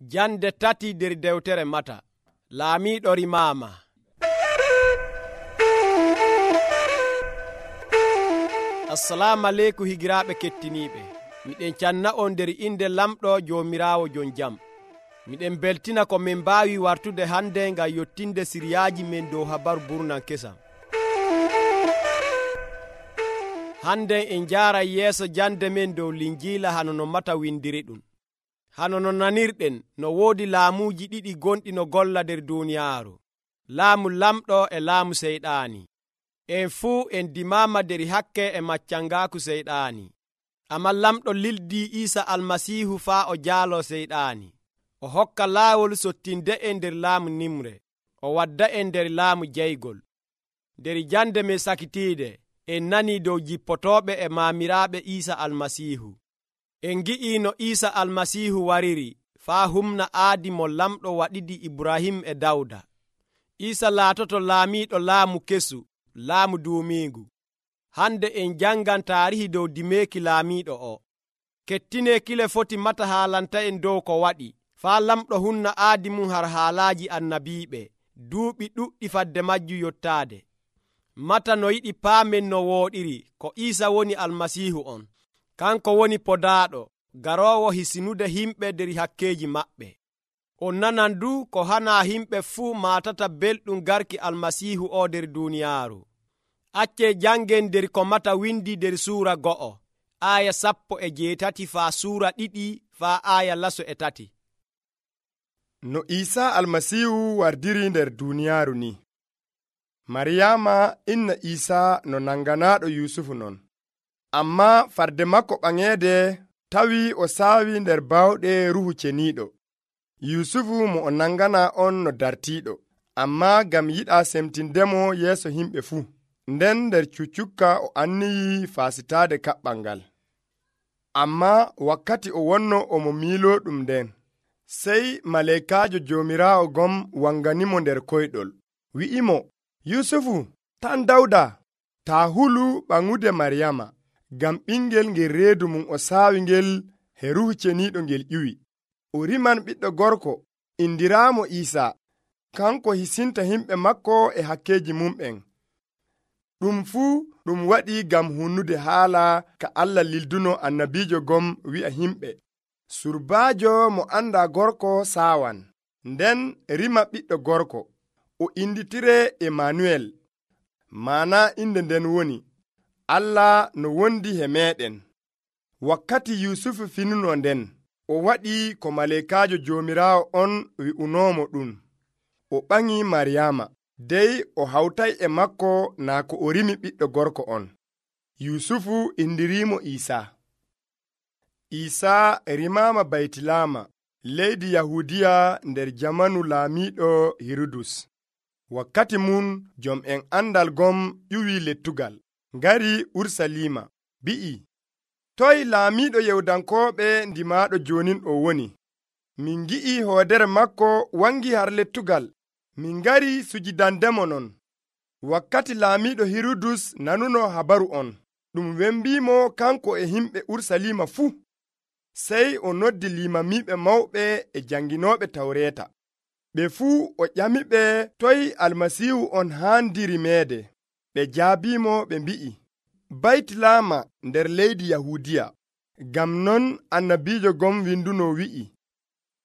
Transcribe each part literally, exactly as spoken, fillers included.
Jande tati nder dewtere Mata. Laamiiɗo rimaama. Assalamu aleykum higiraaɓe kettiniiɓe. Miɗen canna on nder inde lamɗo Joomiraawo jon jam. Miɗen beltina ko min mbaawi wartude hande ngam yottinde siriyaaji men dow habaru burnan kesam. Hande en njaaray yeeso jande men dow Linjiila hano no Mata windiri ɗum. Hano no nanirɗen no woodi laamuuji ɗiɗi gonɗi no golla nder duuniyaaru, laamu lamɗo e laamu seyɗaani. En fuu en dimaama nder hakke e maccangaaku seyɗaani. Ammaa lamɗo lildii Iisa Almasiihu faa o jaaloo seyɗaani. O hokka laawol sottinde en nder laamu nimre, o wadda en nder laamu jeygol. Nder jande men sakitiide, en nanii dow jippotooɓe e maamiraaɓe Iisa Almasiihu. En ngi'ii no Iisa Almasiihu wariri faa humna aadi mo lamɗo waɗidi Ibrahim e Dawda. Iisa laatoto laamiiɗo laamu kesu, laamu duumiigu. Hande en jangan taarihi dow dimeeki laamiiɗo o. Kettine kile foti Mata haalanta en dow ko waɗi faa lamɗo hunna aadi mum har haalaaji annabiiɓe duuɓi ɗuɗɗi fadde majju yottaade. Mata no yiɗi paamen no wooɗiri ko Iisa woni Almasiihu on. Kanko woni podaaɗo garoowo hisinude himɓe nder hakkeeji maɓɓe. On nanan du ko hanaa himɓe fuu maatata belɗum garki Almasiihu o nder duuniyaaru. Accee jangen nder ko Mata windi nder suura go'o, aaya sappo e jeetati faa suura ɗiɗi faa aaya laso e tati. No Iisa Almasiihu wardiri nder duuniyaaru ni. Maryaama inna Iisa no nanganaaɗo Yusufu non. Ammaa farde makko ɓaŋeede tawi o saawi nder baawɗe Ruhu Ceniiɗo. Yusufu mo o nangana on no dartiiɗo, ammaa ngam yiɗaa semtindemo yeeso himɓe fuu. Nden nder cuccukka o anniyi faasitaade kaɓɓal ngal. Ammaa wakkati o wonno omo miiloo ɗum nden, sey maleekaajo Joomiraawo gom wanganimo nder koyɗol, wi'imo, Yusufu, tan Dawda, taa hulu ɓaŋude Maryaama, ngam ɓingel ngel reedu mum o saawi ngel he Ruhu Ceniiɗo ngel ƴiwi. O riman ɓiɗɗo gorko, indiraamo Iisa, kanko hisinta himɓe makko e hakkeeji mumɓen. Ɗum fuu ɗum waɗi ngam hunnude haala ka Allah lilduno annabiijo gom wi'a himɓe, surbaajo mo andaa gorko saawan, nden rima ɓiɗɗo gorko, o inditire Emanuel. Maana inde nden woni, Allah no wondi he meeɗen. Wakkati Yusufu finuno nden, o waɗi ko maleekaajo Joomiraawo on wi'unoomo ɗum. O ɓaŋi Maryaama, dey o hawtay e makko naa ko o rimi ɓiɗɗo gorko on. Yusufu indiriimo Iisa. Iisa rimaama Baytilama, leydi Yahudiya nder jamanu laamiiɗo Hirudus. Wakkati mun jom'en andal gom ƴuwi lettugal, ngari Urusalima, bi'i, toy laamiiɗo Yewdankooɓe ndimaaɗo jonin o woni? Min ngi'i hoodere makko wangi har lettugal, min ngari sujidandemo non. Wakkati laamiiɗo Hirudus nanuno habaru on, ɗum wembiimo kanko e himɓe Urusalima fuu. Sey o noddi limamiiɓe mawɓe e janginooɓe Tawreeta. Ɓe fuu o ƴamiɓe toy Almasiihu on haandiri meede. Ɓe jaabiimo ɓe mbi'i, Baytilama nder leydi Yahudiya. Ngam non annabiijo gom winduno wi'i,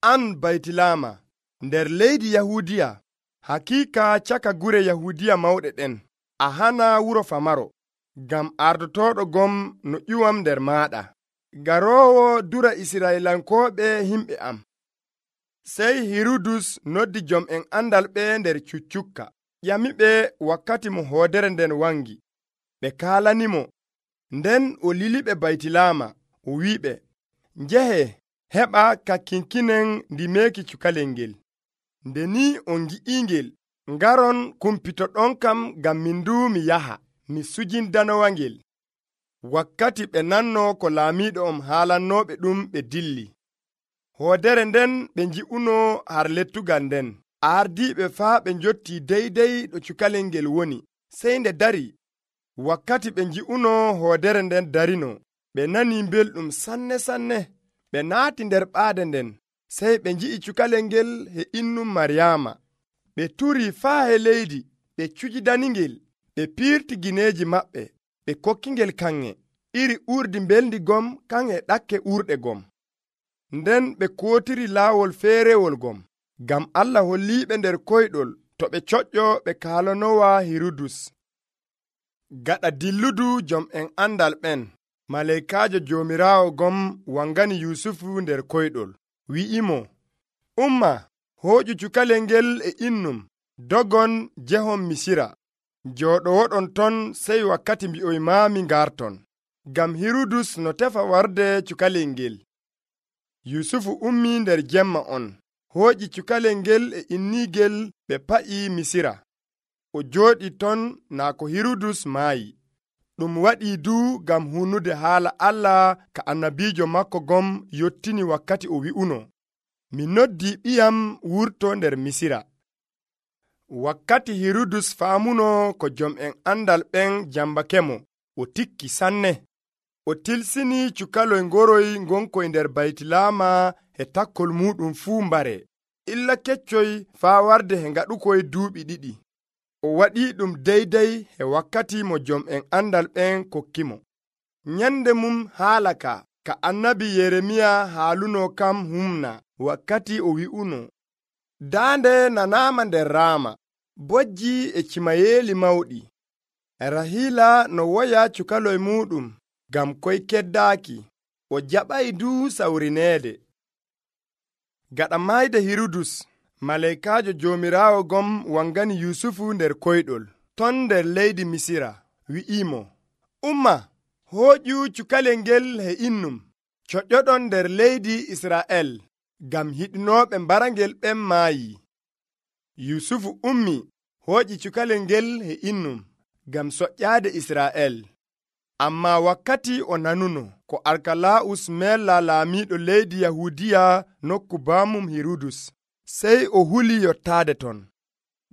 an Baytilama nder leydi Yahudiya, hakiika caka gure Yahudiya mawɗe ɗen, a hana wuro famaro, ngam ardotooɗo gom no ƴuwam nder maaɗa, garoowo dura Israylankooɓe himɓe am. Sey Hirudus noddi jom'en andal ɓe nder cuccukka, ƴamiɓe wakkati mo hoodere nden wangi. Ɓe kaalanimo, nden o liliɓe Baytilama, o wi'iɓe, njehe heɓa kakkinkinen ndimeeki cukalel ngel. Nde ni on ngi'ingel, ngaron kumpito ɗon kam ngam min du mi yaha, mi sujindanowa ngel. Wakkati ɓe nanno ko laamiiɗo on haalannooɓe ɗum ɓe dilli. Hoodere nden ɓe nji'uno har lettugal nden. Ardiiɓe faa ɓe njotti deydey ɗo cukalel ngel woni, sey nde dari. Wakkati ɓe nji'uno hoodere nden darino, ɓe nani belɗum sanne sanne. Ɓe naati nder ɓaade nden, sey ɓe nji'i cukalel ngel he innum Maryaama. Ɓe turi faa he leydi, ɓe cujidaningel, ɓe piirti gineeji maɓɓe, ɓe kokkingel kanŋe, iri urdi mbelndi gom kanŋe ɗakke urɗe gom. Nden ɓe kootiri laawol feerewol gom, ngam Allah holliiɓe nder koyɗol to ɓe coƴƴo ɓe kaalanowa Hirudus. Gaɗa dilludu jom en andal ɓen, maleykaajo Joomiraawo gom wangani Yusufu nder koyɗol, wi'imo, umma, hooƴu cukalel ngel e innum, dogon jehon Misira, jooɗowoɗon ton sey wakkati mbi'oymaami ngarton, ngam Hirudus no tefa warde cukalel ngel. Yusufu ummi nder jemma on, hooƴi cukalel ngel e innigel, ɓe pa'i Misira. O jooɗi ton naa ko Hirudus maayi. Ɗum waɗii du ngam hunnude haala Allah ka annabiijo makko gom yottini wakkati o wi'uno, mi noddii ɓiyam wurto nder Misira. Wakkati Hirudus faamuno ko jom en andal ɓen jambakemo, o tikki sanne. O tilsini cukaloy ngoroy ngonkoy nder baytilaama he takkol muɗum fuu mbare, illa keccoy faa warde he ngaɗukoy duuɓi ɗiɗi. O waɗii ɗum deydey he wakkati mo jom en andal ɓen kokkimo. Nyande mum haala ka, ka annabi Yeremiya haaluno kam humna, wakkati o wi'uno, daande nanaama nder Raama, bojji e cimayeeli mawɗi. Rahila no woya cukaloy muɗum, ngam koy keddaaki, o jaɓay du sawrineede. Gaɗa mayde Hirudus, maleykaajo Joomiraawo gom wangani Yusufu nder koyɗol, ton nder leydi Misira, wi'imo, umma, hooƴu cukalel ngel he innum, coƴƴoɗon nder leydi Israa'el, ngam hiɗinooɓe mbarangel ɓen maayi. Yusufu ummi, hooƴi cukalel ngel he innum, ngam soƴƴaade Israa'el. Ammaa wakkati o nanuno ko Arkala'us mella laamiiɗo leydi Yahudiya nokku baamum Hirudus, sey o huli yottaade ton.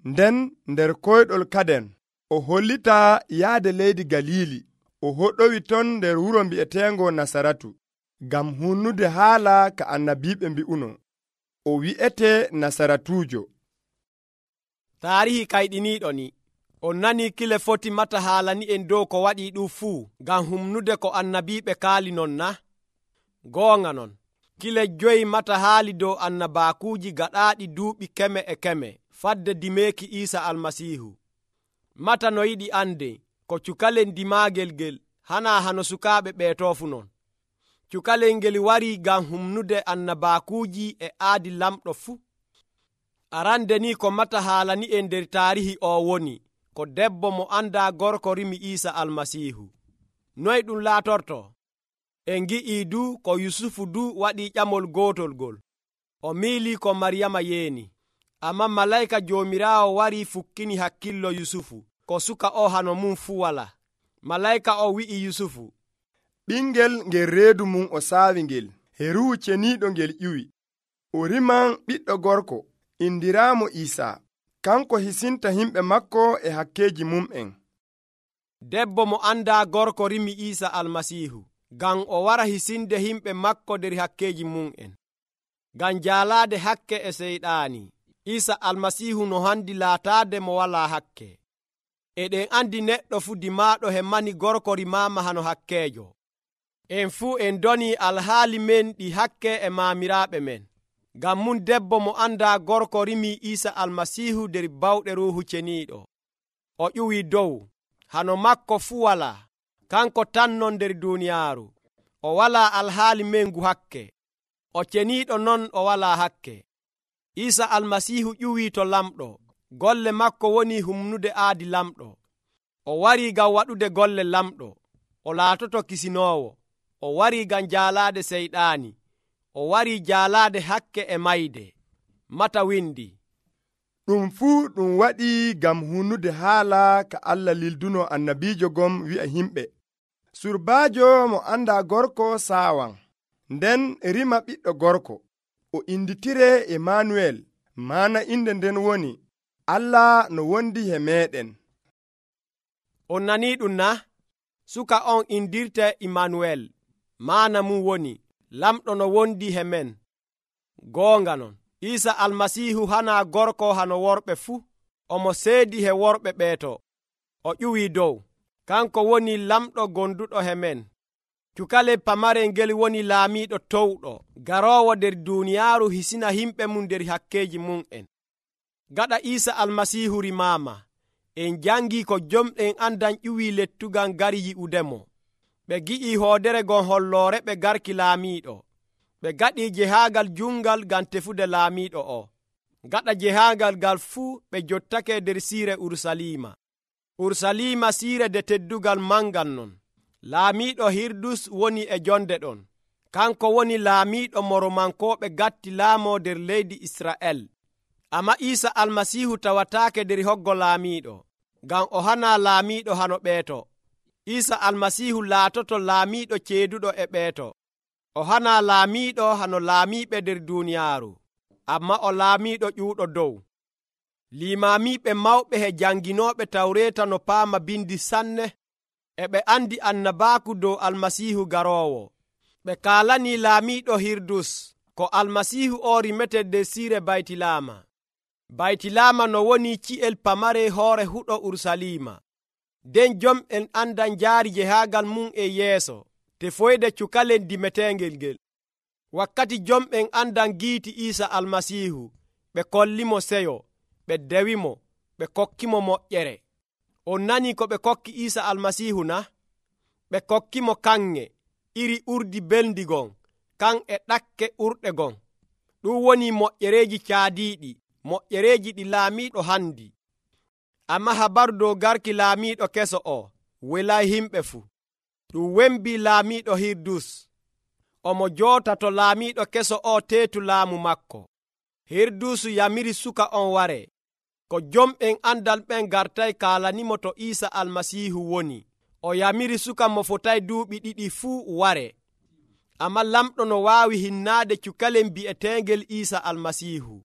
Nden nder koyɗol kaden, o hollita yaade leydi Galili, o hoɗowi ton nder wuro mbi'eteengo Nasaratu, ngam hunnude haala ka annabiiɓe mbi'uno, o wi'ete Nasaratuujo. Taarihi kayɗiniiɗo ni, on nani kile foti mata haalani en dow ko waɗi ɗum fuu ngam humnude ko annabiiɓe kaali non na? Goonga non, kile joyi mata haali dow annabaakuuji gaɗaaɗi duuɓi keme e keme fadde dimeeki Iisa Almasiihu. Mata no yiɗi ande ko cukalel dimaagel ngel hana hano sukaaɓe ɓeeto fu non. Cukalel ngel warii ngam humnude annabaakuuji e aadi lamɗo fuu. Arande ni ko mata haalani en nder taarihi o woni ko debbo mo anda gorko rimi Iisa Almasiihu. Noy ɗum laatorto? En gi'ii du ko Yusufu du waɗi ƴamol gootol gol. O miili ko Maryama yeeni. Amma malayka Joomiraawo wari fukkini hakkillo Yusufu ko suka o hano mum fuu wala. Malayka o wi'i Yusufu, ɓingel ngel reedu mum o saawi ngel, he ruhu ceniiɗo ngel ƴiwi. O riman ɓiɗɗo gorko, indiraamo Iisa. Kanko hisinta himɓe makko e hakkeeji mum'en. Debbo mo anda gorko rimi Iisa Almasiihu, ngam o wara hisinde himɓe makko nder hakkeeji mum'en. Ngam jaalaade hakke e seyɗaani, Iisa Almasiihu no handi laataade mo walaa hakke. Eɗen andi neɗɗo fu dimaaɗo he mani gorko rimaama hano hakkeejo. En fuu en doni alhaali men ɗi hakke e maamiraaɓe men. Ngam mun debbo mo anda gorko rimi Iisa Almasiihu nder bawɗe Ruuhu Ceniiɗo. O ƴuwii dow, hano makko fuu walaa, kanko tan non nder duuniyaaru. O walaa alhaali men ngu hakke. O ceniiɗo non o walaa hakke. Iisa Almasiihu ƴuwii to lamɗo. Golle makko woni humnude aadi lamɗo. O warii ngam waɗude golle lamɗo. O laatoto kisinoowo. O warii ngam jaalaade seyɗaani. O warii jaalaade hakke e mayde. Mata windi, ɗum fuu ɗum waɗi ngam hunnude haala ka Allah lilduno annabiijo gom wi'a himɓe, surbaajo mo anda gorko saawan, nden rima ɓiɗɗo gorko, o inditire Emmanuel, maana inde nden woni Allah no wondi he meɗen. On nanii ɗum na? Suka on indirte Emmanuel, maana mum woni lamɗo no wondi he men. goonga non Iisa almasiihu hana gorko hano worɓe fuu. Omo seedi he worɓe ɓeeto. O ƴuwii dow. Kanko woni lamɗo gonduɗo he men. Cukale pamarel ngel woni laamiiɗo towɗo garoowo nder duuniyaaru hisina himɓe mum nder hakkeeji mum'en. Gaɗa Iisa almasiihu rimaama, en jangii ko jomɗen andan ƴuwii lettugal ngari yi'udemo. Ɓe gi'ii hoodere gon holloore ɓe garki laamiiɗo. Ɓe gaɗii jehaagal jungal ngam tefude laamiiɗo o. Gaɗa jehaagal ngal fuu ɓe jottake nder siire Urusalima. Urusalima siire de teddugal mangal non. Laamiiɗo Hirdus woni e jonde ɗon. Kanko woni laamiiɗo mo Romankooɓe gatti laamoo nder leydi Isra'el. Amma Iisa almasiihu tawataake nder hoggo laamiiɗo, ngam o hana laamiiɗo hano ɓeeto. Iisa almasiihu laatoto laamiiɗo ceeduɗo e ɓeeto. O hana laamiiɗo hano laamiiɓe nder duuniyaaru, amma o laamiiɗo ƴuuɗo dow. Limaamiiɓe mawɓe he janginooɓe tawreeta no paama bindi sanne, e ɓe andi annabaaku dow almasiihu garoowo. Ɓe kaalanii laamiiɗo Hirdus ko almasiihu o rimete nder siire Baytilama. Baytilama no woni ci'el pamare hoore huɗo Urusalima. Den jom'en andan njaari jehaagal mum e yeeso tefoyde cukalen dimetengel ngel. Wakkati jom'en andan giiti Iisa almasiihu, ɓe kollimo seyo, ɓe dewimo, ɓe kokkimo moƴƴere. On nani ko ɓe kokki Iisa almasiihu na? Ɓe kokkimo kanŋe iri urdi belndi gon, kan e ɗakke urɗe gon. Ɗum woni moƴƴereeji caadiiɗi, moƴƴereeji ɗi laamiiɗo handi. Amma habaru dow garki laamiiɗo keso o welay himɓe fuu. Ɗum wembii laamiiɗo Hirdus. Omo joota to laamiiɗo keso o teetu laamu makko. Hirdusu yamiri suka on ware. Ko jom'en andal ɓen gartay kaalanimo to Iisa almasiihu woni. O yamiri suka mo fotay duuɓi ɗiɗi fuu ware. Amma lamɗo no waawi hinnaade cukalen bi'eteengel Iisa almasiihu.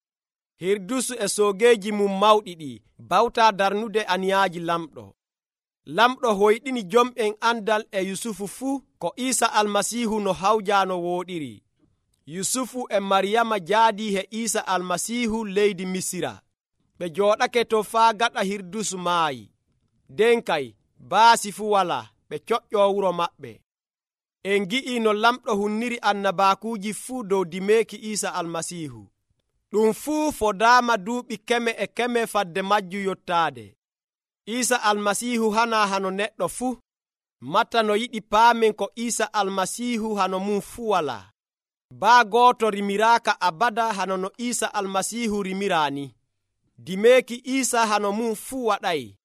Hirdusu e soogeeji mum mawɗi ɗi bawtaa darnude aniyaaji lamɗo. Lamɗo hoyɗini jom'en andal e Yusufu fuu ko Iisa almasiihu no hawjaano wooɗiri. Yusufu e Maryama jaadii he Iisa almasiihu leydi Misira. Ɓe jooɗake to faa gaɗa Hirdusu maayi. Den kay baasi fuu walaa, ɓe coƴƴoo wuro maɓɓe. En gi'ii no lamɗo hunniri annabaakuuji fuu dow dimeeki Iisa almasiihu. Ɗum fuu fodaama duuɓi keme e keme fadde majju yottaade. Iisa almasiihu hana hano neɗɗo fuu. Matta no yiɗi paamen ko Iisa almasiihu hano mum fuu walaa. Baa gooto rimiraaka abada hano no Iisa almasiihu rimiraa ni. Dimeeki Iisa hano mum fuu waɗay.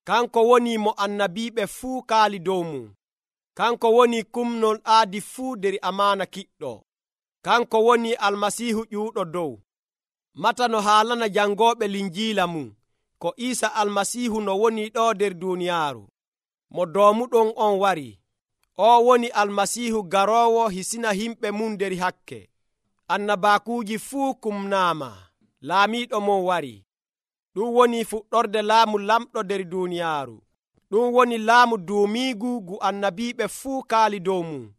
Kanko woni mo annabiiɓe fuu kaali dow mum. Kanko woni kumnol aadi fuu nder amaana kiɗɗo. Kanko woni almasiihu ƴuuɗo dow. Mata no haalana jangooɓe linjiila mum ko Iisa almasiihu no woni ɗo nder duuniyaaru. Mo doomuɗon on wari. O woni almasiihu garoowo hisina himɓe mum nder hakke. Annabaakuuji fuu kumnaama. Laamiiɗo mon wari. Ɗum woni fuɗɗorde laamu lamɗo nder duuniyaaru. Ɗum woni laamu duumiigu gu annabiiɓe fuu kaali dow mum.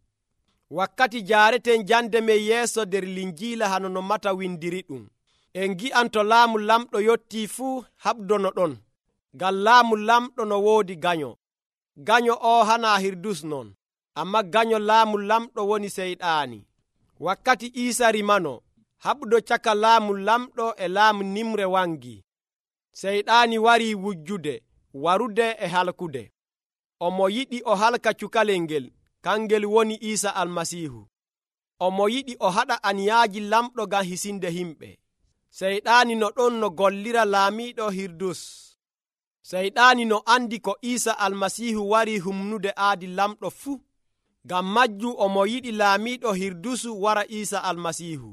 Wakkati jaareten jande men yeeso nder linjiila hano no mata windiri ɗum. En gi'an to laamu lamɗo yottii fuu haɓdono ɗon, ngam laamu lamɗo no woodi ganyo. Ganyo o hana Hirdus non, amma ganyo laamu lamɗo woni Seyɗaani. Wakkati Iisa rimano, haɓdo caka laamu lamɗo e laamu nimre wangi. Seyɗaani warii wujjude, warude e halkude. Omo yiɗi o halka cukalel ngel, kangel woni Iisa almasiihu. Omo yiɗi o haɗa aniyaaji lamɗo ngam hisinde himɓe. Seyɗaani no ɗon no gollira laamiiɗo Hirdus. Seyɗaani no andi ko Iisa almasiihu wari humnude aadi lamɗo fuu. Ngam majju omo yiɗi laamiiɗo Hirdusu wara Iisa almasiihu.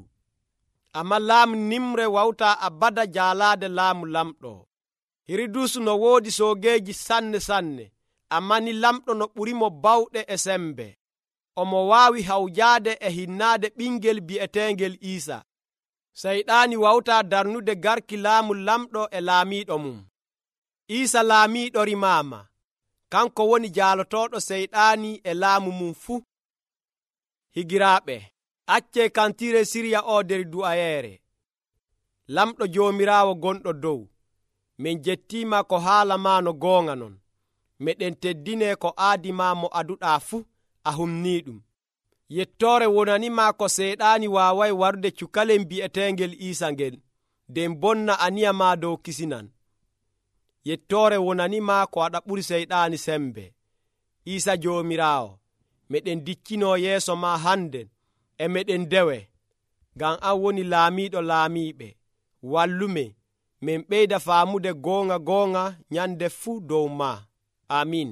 Amma laamu nimre wawtaa abada jaalaade laamu lamɗo. Hirdusu no woodi soogeeji sanne sanne, amma ni lamɗo no ɓurimo bawɗe e sembe. Omo waawi hawjaade e hinnaade ɓingel bi'eteengel Iisa. Seyɗaani wawtaa darnude garki laamu lamɗo e laamiiɗo mum. Iisa laamiiɗo rimaama. Kanko woni jaalotooɗo Seyɗaani e laamu mum fuu. Higiraaɓe, Acce kantire sirya o nder du'ayeere. Lamɗo Joomiraawo gonɗo dow, min jettima ko haala ma no goonga non. Meɗen teddine ko aadi ma mo aduɗaa fuu a humniiɗum. Yettoore wonanima ko seyɗaani waaway warde cukalel bi'eteengel Iisa ngel, nden bonna aniya ma dow kisinan. Yettoore wonanima ko aɗa ɓuri seyɗaani sembe. Iisa Joomiraawo, meɗen diccino yeeso ma hande e meɗen dewe, ngam an woni laamiiɗo laamiiɓe. Wallume min ɓeyda faamude goonga goonga nyande fuu dow ma. Amin.